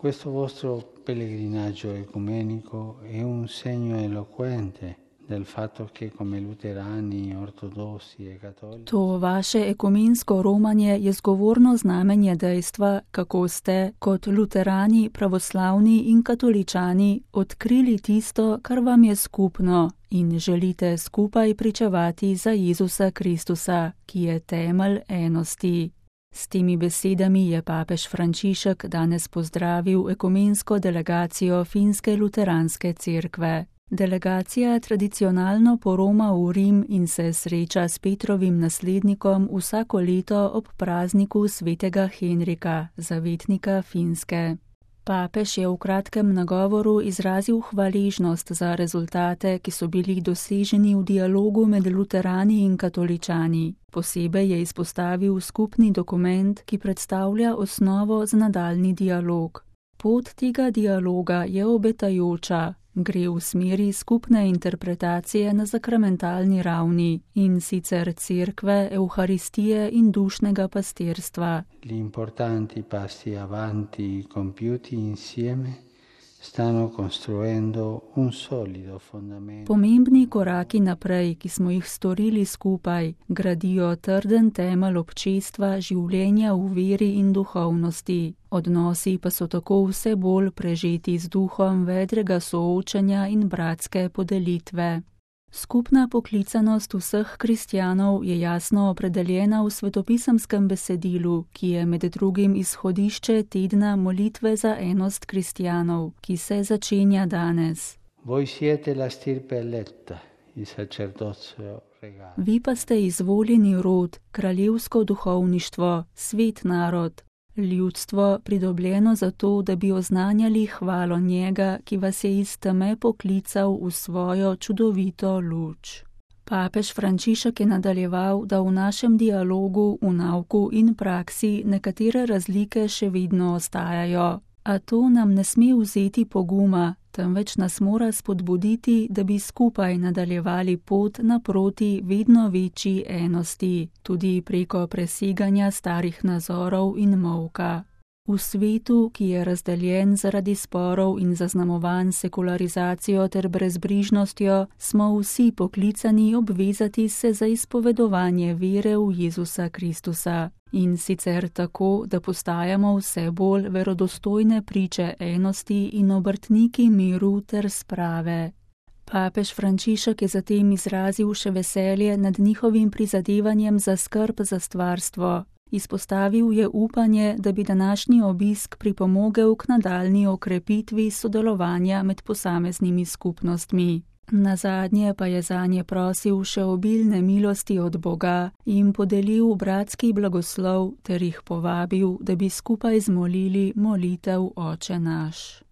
Questo vostro pellegrinaggio ecumenico è un segno eloquente del fatto che come luterani, ortodossi e cattolici. To vaše ekumensko romanje je zgovorno znamenje dejstva, kako ste, kot luterani, pravoslavni in katoličani, odkrili tisto, kar vam je skupno in želite skupaj pričevati za Jezusa Kristusa, ki je temelj enosti. S temi besedami je papež Frančišek danes pozdravil ekumensko delegacijo Finske luteranske cerkve. Delegacija tradicionalno poroma v Rim in se sreča s Petrovim naslednikom vsako leto ob prazniku svetega Henrika, zavetnika Finske. Papež je v kratkem nagovoru izrazil hvaležnost za rezultate, ki so bili doseženi v dialogu med luterani in katoličani. Posebej je izpostavil skupni dokument, ki predstavlja osnovo za nadaljni dialog. Pot tega dialoga je obetajoča. Gre v smeri skupne interpretacije na sakramentalni ravni, in sicer cerkve, evharistije in dušnega pastirstva. Gli importanti passi avanti compiuti insieme stanno costruendo un solido fondamento. Pomembni koraki naprej, ki smo jih storili skupaj, gradijo trden temelj občestva, življenja v veri in duhovnosti. Odnosi pa so tako vse bolj prežeti z duhom vedrega soočanja in bratske podelitve. Skupna poklicanost vseh kristjanov je jasno opredeljena v svetopisemskem besedilu, ki je med drugim izhodišče tedna molitve za enost kristjanov, ki se začenja danes. Voi siete la stirpe eletta, il sacerdozio regale. Vi pa ste izvoljeni rod, kraljevsko duhovništvo, svet narod. Ljudstvo, pridobljeno zato, da bi oznanjali hvalo njega, ki vas je iz teme poklical v svojo čudovito luč. Papež Frančišek je nadaljeval, da v našem dialogu, v nauku in praksi nekatere razlike še vedno ostajajo. A to nam ne sme vzeti poguma, temveč nas mora spodbuditi, da bi skupaj nadaljevali pot naproti vedno večji enosti, tudi preko preseganja starih nazorov in molka. V svetu, ki je razdeljen zaradi sporov in zaznamovan sekularizacijo ter brezbrižnostjo, smo vsi poklicani obvezati se za izpovedovanje vere v Jezusa Kristusa. In sicer tako, da postajamo vse bolj verodostojne priče enosti in obrtniki miru ter sprave. Papež Frančišek je zatem izrazil še veselje nad njihovim prizadevanjem za skrb za stvarstvo. Izpostavil je upanje, da bi današnji obisk pripomogel k nadaljnji okrepitvi sodelovanja med posameznimi skupnostmi. Nazadnje pa je zanje prosil še obilne milosti od Boga in podelil bratski blagoslov ter jih povabil, da bi skupaj zmolili molitev Oče naš.